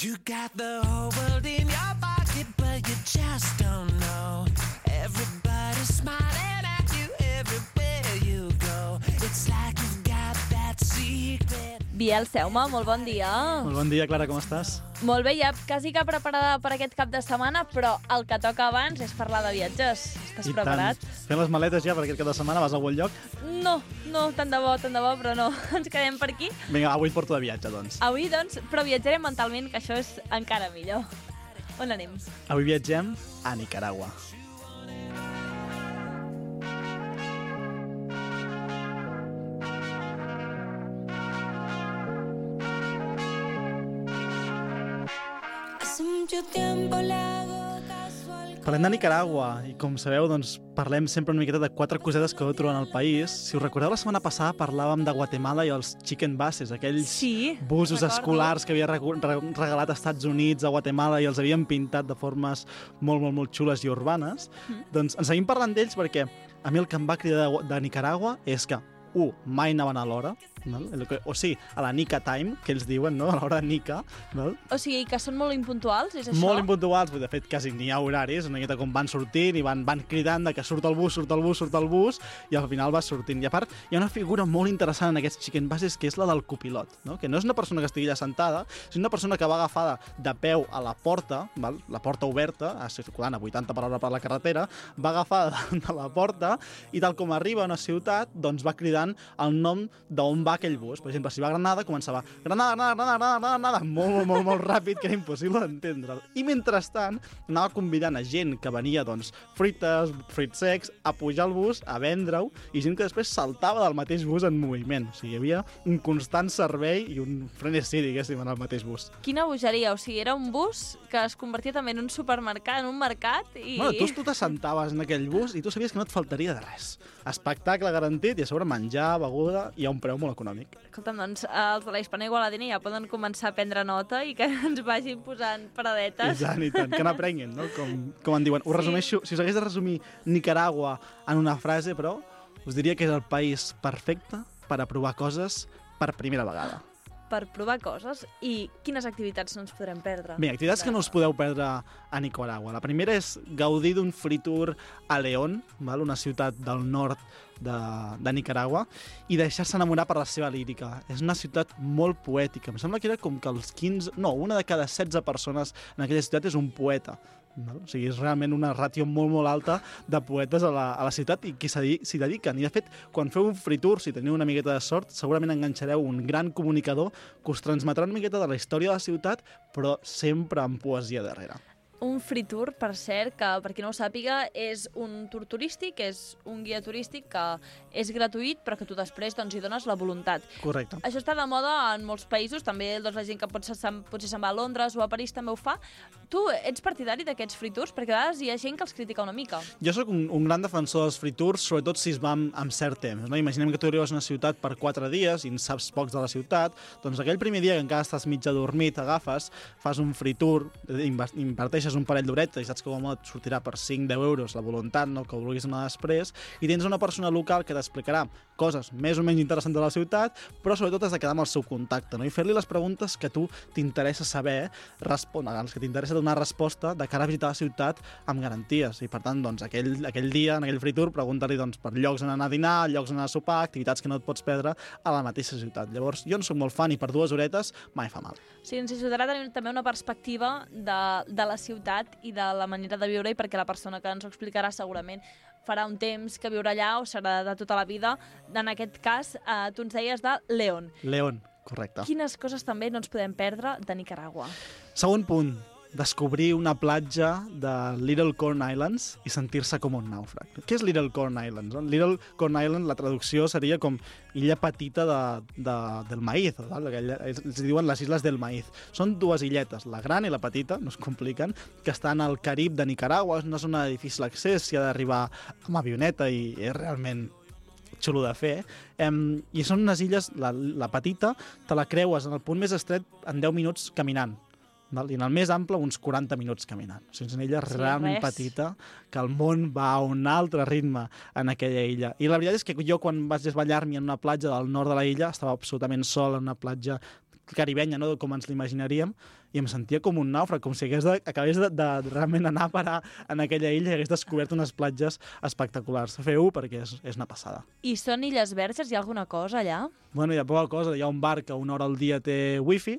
You got the whole world in your pocket, but you just don't know. Everybody's smiling at you everywhere you go. It's like you've got that secret. Biel Seuma, molt bon dia. Molt bon dia, Clara, com estàs? Molt bé, ja quasi que preparada per aquest cap de setmana, però el que toca abans és parlar de viatges. Estàs preparat? Fent les maletes ja per aquest cap de setmana, vas a algun lloc? No, tant de bo, però no. Ens quedem per aquí. Vinga, avui et porto de viatge, doncs. Avui, doncs, però viatjarem mentalment, que això és encara millor. On anem? Avui viatgem a Nicaragua. Parlem de Nicaragua i, com sabeu, doncs, parlem sempre una miqueta de 4 cosetes que heu trobat al país. Si us recordeu, la setmana passada parlàvem de Guatemala i els chicken buses, aquells busos escolars que havia regalat als Estats Units a Guatemala i els havien pintat de formes molt xules i urbanes. Doncs en seguim parlant d'ells perquè a mi el que em va cridar de Nicaragua és que mai anaven a l'hora, o sigui, a la Nica Time, que ells diuen, no? A l'hora Nica. O sigui, que són molt impuntuals, és això? Molt impuntuals, de fet, quasi n'hi ha horaris, una miqueta com van sortint i van cridant de que surt el bus, i al final va sortint. I a part, hi ha una figura molt interessant en aquests chicken buses, que és la del copilot, no? Que no és una persona que estigui allà sentada, sinó una persona que va agafada de peu a la porta, la porta oberta, circulant a 80 per hora per la carretera, va agafada de la porta i tal com arriba a una ciutat, doncs va cridant el nom d'on va aquell bus. Per exemple, si va a Granada, començava Granada, molt ràpid, que era impossible d'entendre'l. I mentrestant anava convidant a gent que venia, doncs, fruits secs, a pujar al bus, a vendre-ho, i gent que després saltava del mateix bus en moviment. O sigui, hi havia un constant servei i un frenesí, diguéssim, en el mateix bus. Quina bogeria, o sigui, era un bus que es convertia també en un supermercat, en un mercat, i... Bueno, tu t'assentaves en aquell bus i tu sabies que no et faltaria de res. Espectacle garantit i a sobre menjar, beguda i a un preu molt econòmic. Escolta'm, doncs, els de la Hispana Igualadina ja poden començar a prendre nota i que ens vagin posant paradetes. I tant, que n'aprenguin, no? Com en diuen. Ho resumeixo, si us hagués de resumir Nicaragua en una frase, però, us diria que és el país perfecte per a provar coses per primera vegada. Per provar coses. I quines activitats no ens podrem perdre? Bé, activitats que no us podeu perdre a Nicaragua. La primera és gaudir d'un free tour a León, una ciutat del nord de Nicaragua, i deixar-se enamorar per la seva lírica. És una ciutat molt poètica. Em sembla que era com que una de cada 16 persones en aquella ciutat és un poeta. O sigui, és realment una ràtio molt alta de poetes a la ciutat i que s'hi dediquen. I, de fet, quan feu un free tour, si teniu una miqueta de sort, segurament enganxareu un gran comunicador que us transmetrà una miqueta de la història de la ciutat, però sempre amb poesia darrere. Un free tour, per cert, que per qui no ho sàpiga, és un tour turístic, és un guia turístic que és gratuït, però que tu després hi dones la voluntat. Correcte. Això està de moda en molts països, també la gent que potser se'n va a Londres o a París també ho fa. Tu ets partidari d'aquests free tours? Perquè a vegades hi ha gent que els critica una mica. Jo sóc un gran defensor dels free tours, sobretot si es va amb cert temps. No? Imaginem que tu arribes a una ciutat per 4 dies i en saps pocs de la ciutat, doncs aquell primer dia que encara estàs mig adormit, agafes, fas un free tour, inverteixes un parell d'horetes i saps que et sortirà per 5-10 euros la voluntat, no, que ho vulguis anar després, i tens una persona local que t'explicarà coses més o menys interessants de la ciutat, però sobretot has de quedar amb el seu contacte, no? I fer-li les preguntes que tu t'interessa saber, que t'interessa donar resposta de cara a visitar la ciutat amb garanties. I per tant, doncs, aquell dia, en aquell free tour, pregunta-li per llocs on anar a dinar, llocs on anar a sopar, activitats que no et pots perdre a la mateixa ciutat. Llavors, jo en soc molt fan i per 2 horetes mai fa mal. Sí, ens ajudarà a tenir també una perspectiva de la ciutat i de la manera de viure-hi, perquè la persona que ens ho explicarà segurament farà un temps que viurà allà o serà de tota la vida. En aquest cas, tu ens deies de León. León, correcte. Quines coses també no ens podem perdre de Nicaragua? Segon punt, descobrir una platja de Little Corn Islands i sentir-se com un nàufrag. Què és Little Corn Islands? Little Corn Island, la traducció seria com illa petita del maíz, els diuen les Isles del Maíz. Són 2 illetes, la gran i la petita, no es compliquen, que estan al Carib de Nicaragua, és una zona de difícil accés, s'hi ha d'arribar amb avioneta i és realment xulo de fer, i són unes illes, la petita, te la creues en el punt més estret en 10 minuts caminant. I en el més ample uns 40 minuts caminant. O sigui, és una illa realment petita, que el món va a un altre ritme en aquella illa. I la veritat és que jo, quan vaig desballar-m'hi en una platja del nord de la illa, estava absolutament sol en una platja caribenya, no? Com ens l'imaginaríem, i em sentia com un nàufrag, com si acabés de realment anar a parar en aquella illa i hagués descobert unes platges espectaculars. Feu-ho perquè és una passada. I són illes verges? Hi ha alguna cosa allà? Bueno, hi ha poca cosa. Hi ha un bar que una hora al dia té wifi,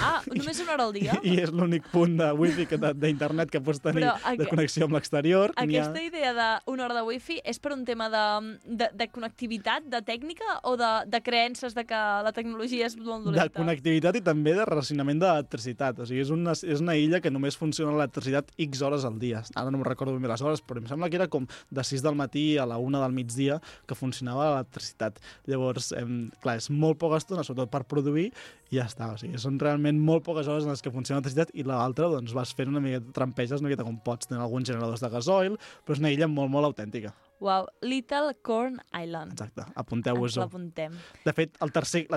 Ah, només una hora al dia? i és l'únic punt de wifi d'internet que pots tenir de connexió amb l'exterior. Aquesta idea d'una hora de wifi és per un tema de connectivitat, de tècnica o de creences de que la tecnologia és molt dolenta? De connectivitat i també de racionament d'electricitat. O sigui, és una illa que només funciona l'electricitat X hores al dia. Ara no me'n recordo ben bé les hores, però em sembla que era com de 6 del matí a la 1 del migdia que funcionava l'electricitat. Llavors, clar, és molt poca estona, sobretot per produir, i ja està. O sigui, són realment molt poques hores en les que funciona l'electricitat i l'altra doncs vas fent una miqueta, trampeges una miqueta com pots. Tenen alguns generadors de gasoil, però és una illa molt, molt autèntica. Uau, Little Corn Island. Exacte, apunteu-vos-ho. L'apuntem. De fet, la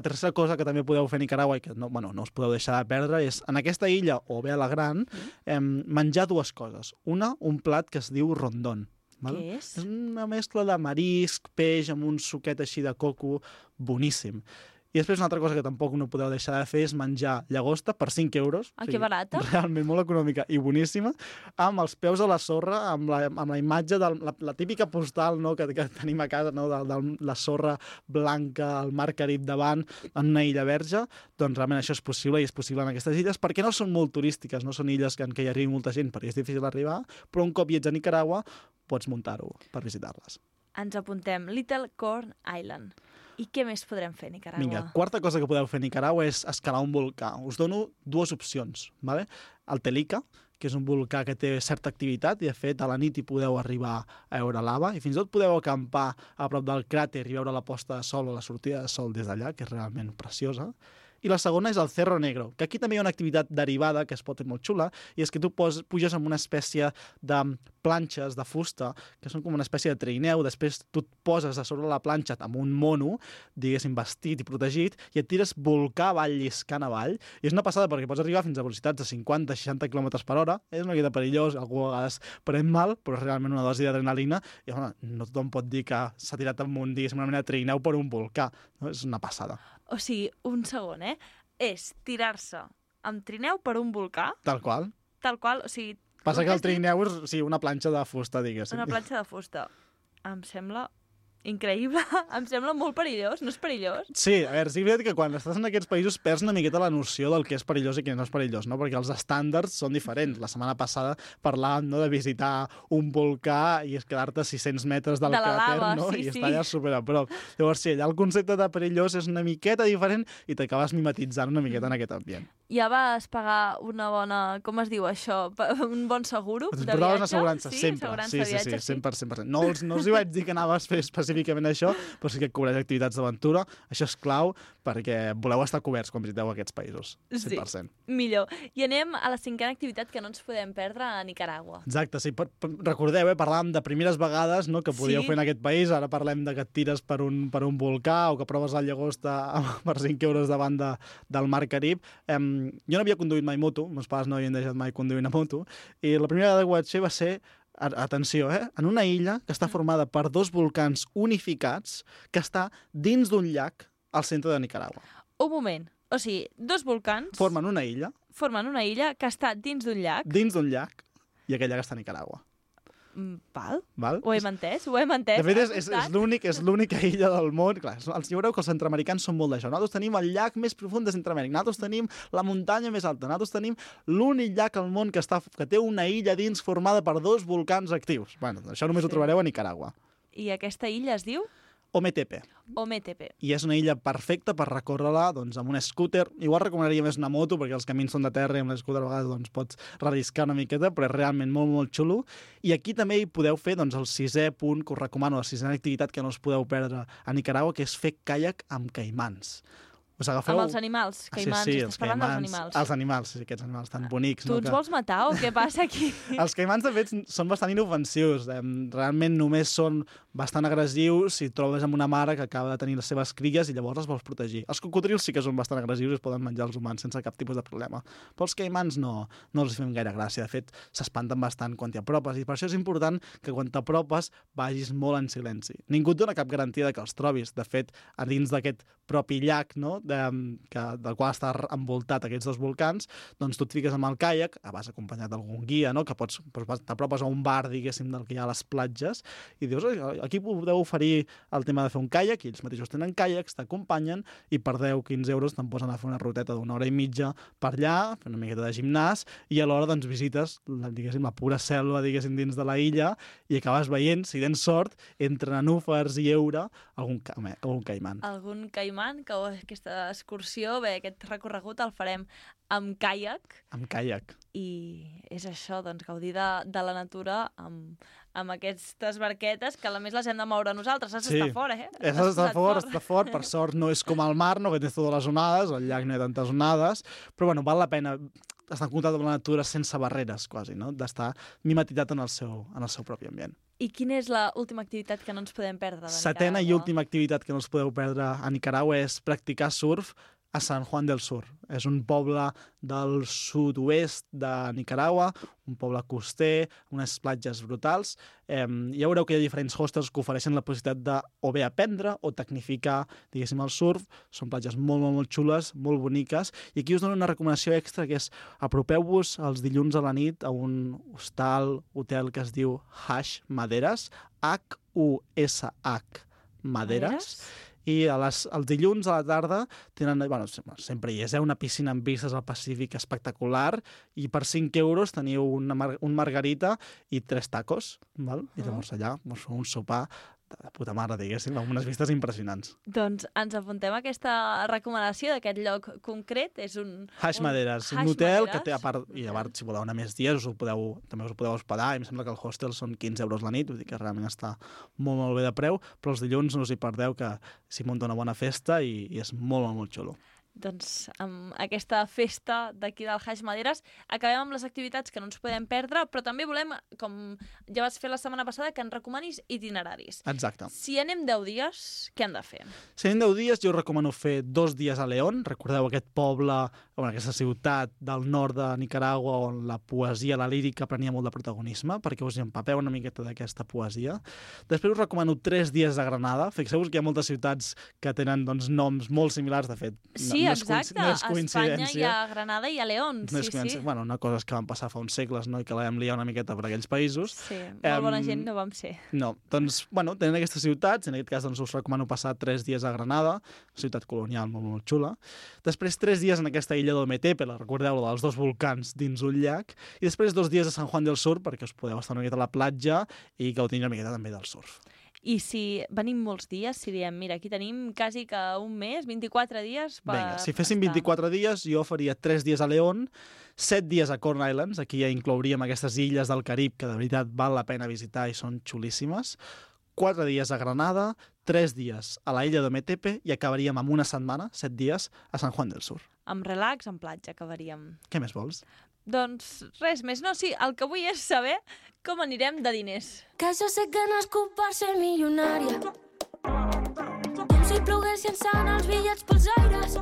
tercera cosa que també podeu fer a Nicaragua i que no us podeu deixar de perdre és, en aquesta illa, o bé a la gran, menjar dues coses. Una, un plat que es diu rondón. Val? Què és? És una mescla de marisc, peix, amb un suquet així de coco, boníssim. I després una altra cosa que tampoc no podeu deixar de fer és menjar llagosta per 5 euros. Ah, que barata. Realment molt econòmica i boníssima, amb els peus a la sorra, amb la imatge de la típica postal, no, que tenim a casa, no, de la sorra blanca, el mar Carib davant, en una illa verge. Doncs realment això és possible i és possible en aquestes illes, perquè no són molt turístiques, no són illes en què hi arribi molta gent perquè és difícil arribar, però un cop hi ets a Nicaragua pots muntar-ho per visitar-les. Ens apuntem Little Corn Island. I què més podrem fer a Nicaragua? Vinga, quarta cosa que podeu fer a Nicaragua és escalar un volcà. Us dono dues opcions, ¿vale? El Telica, que és un volcà que té certa activitat i, de fet, a la nit hi podeu arribar a veure lava i fins i tot podeu acampar a prop del cràter i veure la posta de sol o la sortida de sol des d'allà, que és realment preciosa. I la segona és el Cerro Negro, que aquí també hi ha una activitat derivada que es pot fer molt xula, i és que tu puges amb una espècie de planxes de fusta, que són com una espècie de trineu, després tu et poses a sobre la planxa amb un mono, diguéssim, vestit i protegit, i et tires volcà avall, lliscant avall, i és una passada perquè pots arribar fins a velocitats de 50-60 km per hora, és una miqueta perillós, algú a vegades pren mal, però és realment una dosi d'adrenalina, i bueno, no tothom pot dir que s'ha tirat amunt, diguéssim, una mena de trineu per un volcà, no? És una passada. O sigui, un segon, és tirar-se amb trineu per un volcà. Tal qual. Tal qual, o sigui... Passa que el trineu és una planxa de fusta, diguéssim. Una planxa de fusta. Em sembla increïble. Em sembla molt perillós. No és perillós? Sí, a veure, sí que és veritat que quan estàs en aquests països perds una miqueta la noció del que és perillós i què no és perillós, no? Perquè els estàndards són diferents. La setmana passada parlàvem, no, de visitar un volcà i quedar-te a 600 metres del cràter, no? Sí, I estar allà super a prop. Llavors, sí, allà el concepte de perillós és una miqueta diferent i t'acabes mimetitzant una miqueta en aquest ambient. Ja vas pagar una bona... Com es diu això? Un bon seguro de viatge? Portaves assegurança, sí, sempre. Assegurança Sí, de viatge, 100%. No els hi vaig dir que anaves a fer específicament això, però sí que cobreix activitats d'aventura. Això és clau perquè voleu estar coberts quan visiteu aquests països. 100%. Sí, millor. I anem a la cinquena activitat que no ens podem perdre a Nicaragua. Exacte, sí. Recordeu, parlàvem de primeres vegades, no, que podíeu fer en aquest país. Ara parlem de que et tires per un volcà o que proves el llagosta per 5 euros davant del mar Carib. Jo no havia conduït mai moto, meus pares no havien deixat mai conduir una moto, i la primera vegada que ho vaig fer va ser, atenció, en una illa que està formada per 2 volcans unificats que està dins d'un llac al centre de Nicaragua. Un moment. O sigui, 2 volcans... Formen una illa que està dins d'un llac. Dins d'un llac, i aquell llac està a Nicaragua. Val? Ho hem entès? De fet, és l'única illa del món. Clar, ja veureu que els centreamericans són molt d'això. Nosaltres tenim el llac més profund de Centreamèrica. Nosaltres tenim la muntanya més alta. Nosaltres tenim l'únic llac al món que té una illa dins formada per 2 volcans actius. Bueno, això només ho trobareu a Nicaragua. I aquesta illa es diu? Ometepe. I és una illa perfecta per recórrer-la amb un scooter. Igual recomanaria més una moto, perquè els camins són de terra i amb l'escooter a vegades pots relliscar una miqueta, però és realment molt, molt xulo. I aquí també hi podeu fer el 6è punt que us recomano, la 6a activitat que no us podeu perdre a Nicaragua, que és fer caiac amb caimans. Us agafeu... Amb els animals, caimans. Sí, estàs parlant dels animals. Els animals, sí, aquests animals tan bonics. Tu ens vols matar o què passa aquí? Els caimans, de fet, són bastant inofensius. Realment només són bastant agressius si et trobes amb una mare que acaba de tenir les seves cries i llavors les vols protegir. Els cocodrils sí que són bastant agressius i es poden menjar els humans sense cap tipus de problema. Però els caimans no els fem gaire gràcia. De fet, s'espanten bastant quan t'hi apropes i per això és important que quan t'apropes vagis molt en silenci. Ningú et dona cap garantia de que els trobis. De fet, a dins d'aquest propi llac, no? Del qual està envoltat aquests dos volcans, doncs tu et fiques amb el caiac, vas acompanyat d'algun guia, no? Que t'apropes a un bar, diguéssim, del que hi ha a les platges, i dius, aquí podeu oferir el tema de fer un caiac, i ells mateixos tenen caiacs, t'acompanyen, i per 10-15 euros te'n posen a fer una ruteta d'una hora i mitja per allà, fer una miqueta de gimnàs, i alhora doncs visites, diguéssim, la pura selva, diguéssim, dins de la illa, i acabes veient, si tens sort, entre nenúfars i heura, algun caiman. Algun caiman, que aquesta excursió, aquest recorregut el farem amb caiac. Amb caiac. I és això, doncs, gaudir de la natura amb aquestes barquetes, que a més les hem de moure nosaltres. Has d'estar fort, eh? Has d'estar fort, per sort no és com al mar, no, que tens totes les onades, al llac no hi ha tantes onades, però bueno, val la pena estar en contacte amb la natura sense barreres, quasi, no? D'estar mimetitzat en el seu propi ambient. I quina és l'última activitat que no ens podem perdre de Nicaragua? Setena i última activitat que no us podeu perdre a Nicaragua és practicar surf a San Juan del Sur. És un poble del sud-oest de Nicaragua, un poble coster, unes platges brutals. Ja veureu que hi ha diferents hostels que ofereixen la possibilitat de o bé aprendre o tecnificar, diguéssim, el surf. Són platges molt, molt, molt xules, molt boniques. I aquí us dono una recomanació extra, que és apropeu-vos els dilluns a la nit a un hotel que es diu Hush Maderas, Hush Maderas. I els dilluns a la tarda tenen, sempre hi és, una piscina amb vistes al Pacífic espectacular, i per 5 euros teniu un margarita i 3 tacos, val? I llavors allà us feu un sopar de puta mare, diguéssim, amb unes vistes impressionants. Doncs ens apuntem a aquesta recomanació d'aquest lloc concret. És un Hush Maderas, un hotel que té, a part, si voleu anar més dies, també us ho podeu hospedar, i em sembla que el hostel són 15 euros la nit, vull dir que realment està molt, molt bé de preu, però els dilluns no us hi perdeu, que s'hi munta una bona festa i és molt, molt, molt xulo. Doncs amb aquesta festa d'aquí del Hush Maderas acabem amb les activitats que no ens podem perdre, però també volem, com ja vas fer la setmana passada, que ens recomanis itineraris. Exacte. Si anem 10 dies, què hem de fer? Si anem 10 dies, jo recomano fer 2 dies a León. Recordeu aquest poble, aquesta ciutat del nord de Nicaragua on la poesia, la lírica prenia molt de protagonisme, perquè us hi empapeu una miqueta d'aquesta poesia. Després us recomano 3 dies a Granada. Fixeu-vos que hi ha moltes ciutats que tenen noms molt similars, de fet. Sí, exacte. No és coincidència. A Espanya hi ha Granada i a León. No és sí. Bueno, una cosa és que van passar fa uns segles, no? I que la vam liar una miqueta per aquells països. Sí, molt bona gent no vam ser. No, doncs, tenen aquestes ciutats, en aquest cas doncs, us recomano passar 3 dies a Granada, ciutat colonial molt, molt xula. Després 3 dies en aquesta illa d'Ometepe, recordeu, dels 2 volcans dins un llac, i després 2 dies a San Juan del Sur, perquè us podeu estar una miqueta a la platja i gaudir una miqueta també del surf. I si venim molts dies, si diem, mira, aquí tenim quasi que un mes, 24 dies per... Vinga, si féssim 24 dies, jo faria 3 dies a León, 7 dies a Corn Islands, aquí ja inclouríem aquestes illes del Carib que de veritat val la pena visitar i són xulíssimes, 4 dies a Granada, 3 dies a la illa d'Ometepe i acabaríem amb una setmana, 7 dies, a San Juan del Sur. Amb relax, amb platja, acabaríem. Què més vols? Doncs res més. No, sí, el que vull és saber com anirem de diners. Que jo sé que no és per ser milionària, com si ploguessin sant els bitllets pels aires,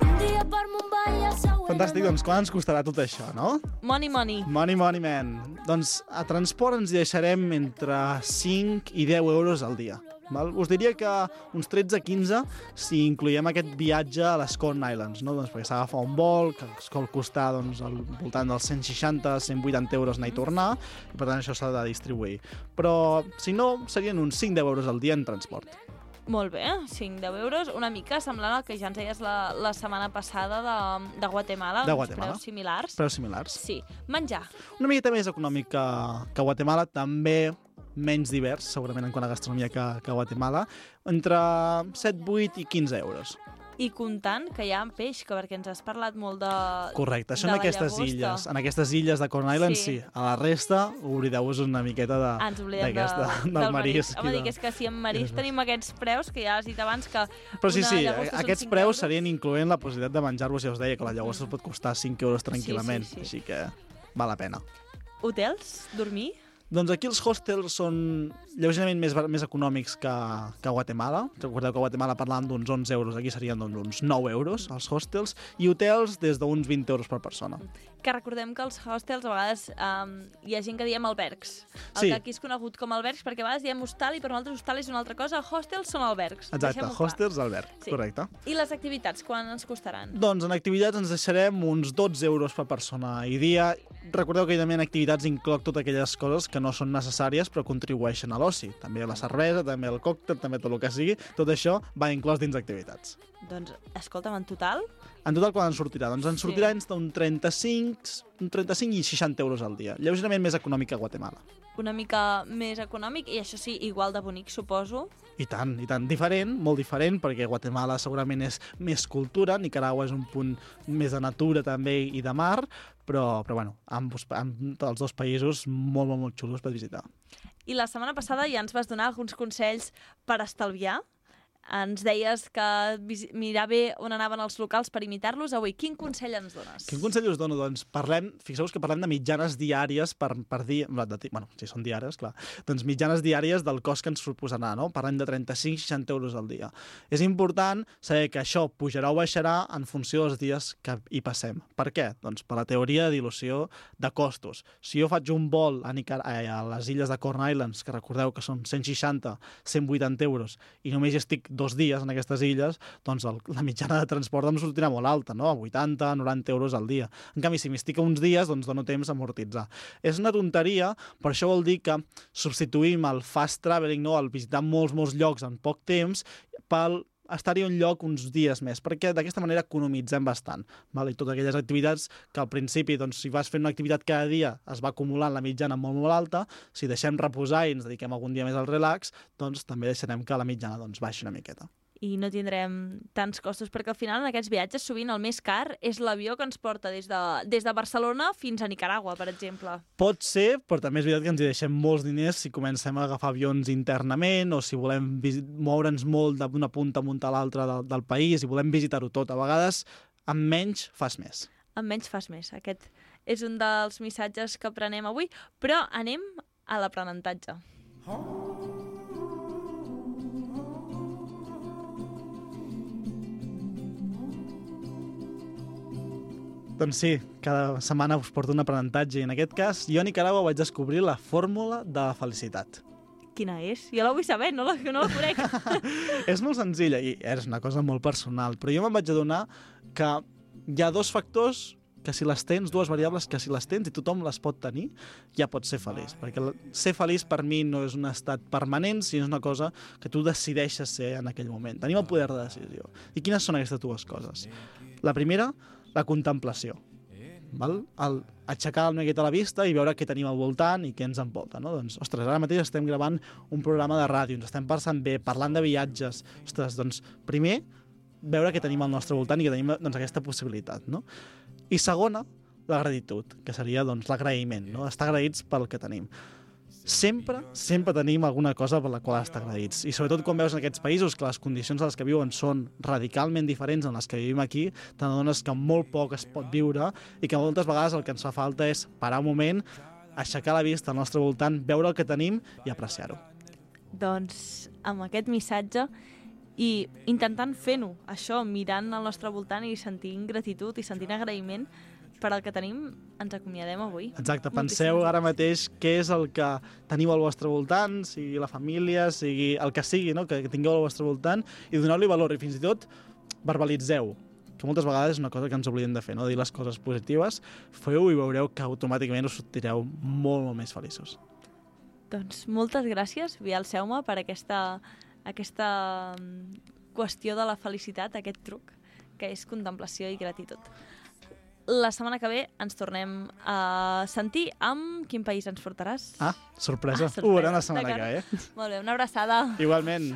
un dia per Mumbai i el següent... Fantàstic, doncs quan ens costarà tot això, no? Money, money. Money, money, man. Doncs a transport ens deixarem entre 5 i 10 euros al dia. Val? Us diria que uns 13-15 si incloiem aquest viatge a les Corn Islands, no? Doncs perquè s'agafa un vol que es pot costar doncs, al voltant dels 160-180 euros anar i tornar, i per tant això s'ha de distribuir. Però si no, serien uns 5-10 euros al dia en transport. Molt bé, 5-10 euros, una mica semblant al que ja ens deies la setmana passada de Guatemala. De Guatemala. Preus similars. Preus similars. Sí. Menjar. Una miqueta més econòmic que Guatemala, també menys divers, segurament en quant a gastronomia que Guatemala, entre 7, 8 i 15 euros. I comptant que hi ha peix, perquè ens has parlat molt de... Correcte, això en aquestes illes. En aquestes illes de Corn Island, sí. A la resta, oblideu-vos una miqueta ens oblidem del marisc. Home, dic, és que si en marisc tenim aquests preus, que ja has dit abans que... Però sí, aquests preus serien incloent la possibilitat de menjar-vos, ja us deia, que la llagosta us pot costar 5 euros tranquil·lament, així que val la pena. Hotels? Dormir? Doncs aquí els hostels són lleugerament més econòmics que a Guatemala. Recordeu que a Guatemala parlàvem d'uns 11 euros, aquí serien uns 9 euros els hostels, i hotels des d'uns 20 euros per persona. Que recordem que els hostels a vegades hi ha gent que diem albergs. Sí. Que aquí és conegut com albergs perquè a vegades diem hostal i per nosaltres hostal és una altra cosa. Hostels són albergs. Exacte, Deixem-ho clar. hostels alberg, Sí. correcte. I les activitats, quan ens costaran? Doncs en activitats ens deixarem uns 12 euros per persona i dia. Recordeu que evidentment en activitats incloc totes aquelles coses que no són necessàries però contribueixen a l'oci. També la cervesa, també el còctel, també tot el que sigui. Tot això va inclòs dins activitats. Doncs, escolta'm, en total, En total, quan ens sortirà? Doncs ens sortirà d'un 35 i 60 euros al dia. Lleugerament més econòmic que a Guatemala. una mica més econòmic i això sí, igual de bonic, suposo. I tant, i tant. Diferent, molt diferent, perquè Guatemala segurament és més cultura, Nicaragua és un punt més de natura també i de mar, però bueno, els dos països molt, molt, molt xulos per visitar. I la setmana passada ja ens vas donar alguns consells per estalviar. Ens deies que mirar bé on anaven els locals per imitar-los. Avui, quin consell ens dones? Quin consell us dono? Doncs fixeu-vos que parlem de mitjanes diàries per dia... Bueno, si són diàries, clar. Doncs mitjanes diàries del cost que ens suposarà, no? Parlem de 35-60 euros al dia. És important saber que això pujarà o baixarà en funció dels dies que hi passem. Per què? Doncs per la teoria de dilució de costos. Si jo faig un vol a les illes de Corn Islands, que recordeu que són 160-180 euros, i només hi estic 2 dies en aquestes illes, doncs la mitjana de transport em sortirà molt alta, no? A 80-90 euros al dia. En canvi, si m'hi estic uns dies, doncs dono temps a amortitzar. És una tonteria, per això vol dir que substituïm el fast traveling, no? El visitar molts llocs en poc temps, pel estar-hi un lloc uns dies més, perquè d'aquesta manera economitzem bastant. Val? I totes aquelles activitats que al principi, doncs, si vas fent una activitat cada dia, es va acumulant la mitjana molt, molt alta, si deixem reposar i ens dediquem algun dia més al relax, doncs també deixarem que la mitjana baixi una miqueta. I no tindrem tants costos, perquè al final en aquests viatges sovint el més car és l'avió que ens porta des de Barcelona fins a Nicaragua, per exemple. Pot ser, però també és veritat que ens hi deixem molts diners si comencem a agafar avions internament o si volem moure'ns molt d'una punta a l'altra del país i volem visitar-ho tot. A vegades, amb menys fas més. Amb menys fas més. Aquest és un dels missatges que aprenem avui, però anem a l'aprenentatge. Doncs sí, cada setmana us porto un aprenentatge i en aquest cas jo a Nicaragua vaig descobrir la fórmula de la felicitat. Quina és? Jo la vull saber, no la conec. És molt senzilla i és una cosa molt personal, però jo me'n vaig adonar que hi ha 2 factors que si les tens, 2 variables que si les tens i tothom les pot tenir, ja pots ser feliç. Perquè ser feliç per mi no és un estat permanent, sinó és una cosa que tu decideixes ser en aquell moment. Tenim el poder de decisió. I quines són aquestes 2 coses? La primera, la contemplació. Val? Aixecar una miqueta la vista i veure què tenim al voltant i què ens envolta. No? Doncs, ostres, ara mateix estem gravant un programa de ràdio, ens estem passant bé, parlant de viatges. Ostres, doncs, primer, veure què tenim al nostre voltant i que tenim doncs, aquesta possibilitat. No? I segona, la gratitud, que seria doncs, l'agraïment, no? Estar agraïts pel que tenim. Sempre tenim alguna cosa per la qual estar agraïts. I sobretot quan veus en aquests països que les condicions a les que viuen són radicalment diferents en les que vivim aquí, t'adones que molt poc es pot viure i que moltes vegades el que ens fa falta és parar un moment, aixecar la vista al nostre voltant, veure el que tenim i apreciar-ho. Doncs amb aquest missatge i intentant fer-ho, això, mirant al nostre voltant i sentint gratitud i sentint agraïment per al que tenim, ens acomiadem avui. Exacte, penseu ara mateix què és el que teniu al vostre voltant, sigui la família, sigui el que sigui, no? Que tingueu al vostre voltant, i doneu-li valor, i fins i tot verbalitzeu, que moltes vegades és una cosa que ens oblidem de fer, no? Dir les coses positives, feu-ho i veureu que automàticament us sortireu molt, molt més feliços. Doncs moltes gràcies, Biel Seume, per aquesta qüestió de la felicitat, aquest truc, que és contemplació i gratitud. La setmana que ve ens tornem a sentir amb quin país ens portaràs. Sorpresa. Sorpresa. Ho veurem la setmana que ve. Molt bé, una abraçada. Igualment.